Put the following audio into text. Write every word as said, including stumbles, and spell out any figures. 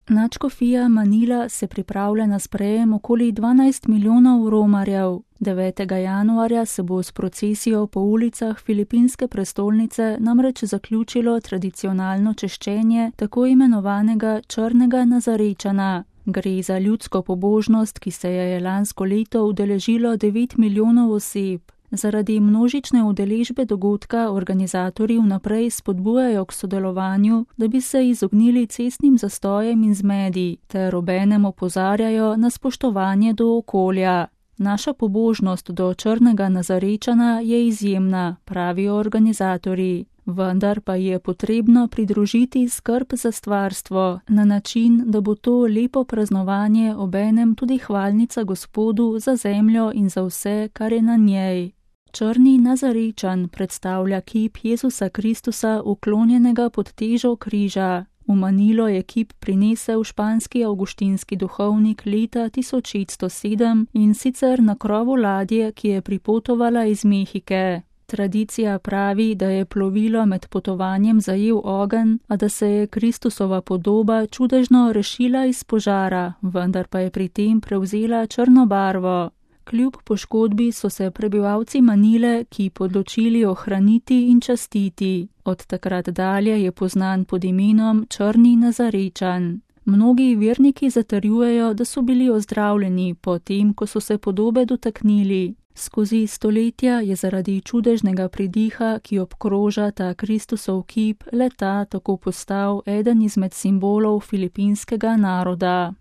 Nadškofija Manila se pripravlja na sprejem okoli dvanajst milijonov romarjev. devetega januarja se bo s procesijo po ulicah filipinske prestolnice namreč zaključilo tradicionalno češčenje tako imenovanega črnega Nazarečana. Gre za ljudsko pobožnost, ki se je lansko leto udeležilo devet milijonov oseb. Zaradi množične udeležbe dogodka organizatorji vnaprej spodbujajo k sodelovanju, da bi se izognili cestnim zastojem in zmedi, ter obenem opozarjajo na spoštovanje do okolja. Naša pobožnost do črnega Nazarečana je izjemna, pravijo organizatorji. Vendar pa je potrebno pridružiti skrb za stvarstvo na način, da bo to lepo praznovanje obenem tudi hvalnica Gospodu za zemljo in za vse, kar je na njej. Črni Nazarečan predstavlja kip Jezusa Kristusa uklonjenega pod težo križa. V Manilo je kip prinesel španski avguštinski duhovnik leta tisoč šeststo sedem in sicer na krovu ladje, ki je pripotovala iz Mehike. Tradicija pravi, da je plovilo med potovanjem zajel ogenj, a da se je Kristusova podoba čudežno rešila iz požara, vendar pa je pri tem prevzela črno barvo. Kljub poškodbi so se prebivalci Manile kip odločili ohraniti in častiti. Od takrat dalje je poznan pod imenom črni Nazarečan. Mnogi verniki zatrjujejo, da so bili ozdravljeni po tem, ko so se podobe dotaknili. Skozi stoletja je zaradi čudežnega pridiha, ki obkroža ta Kristusov kip, le ta tako postal eden izmed simbolov filipinskega naroda.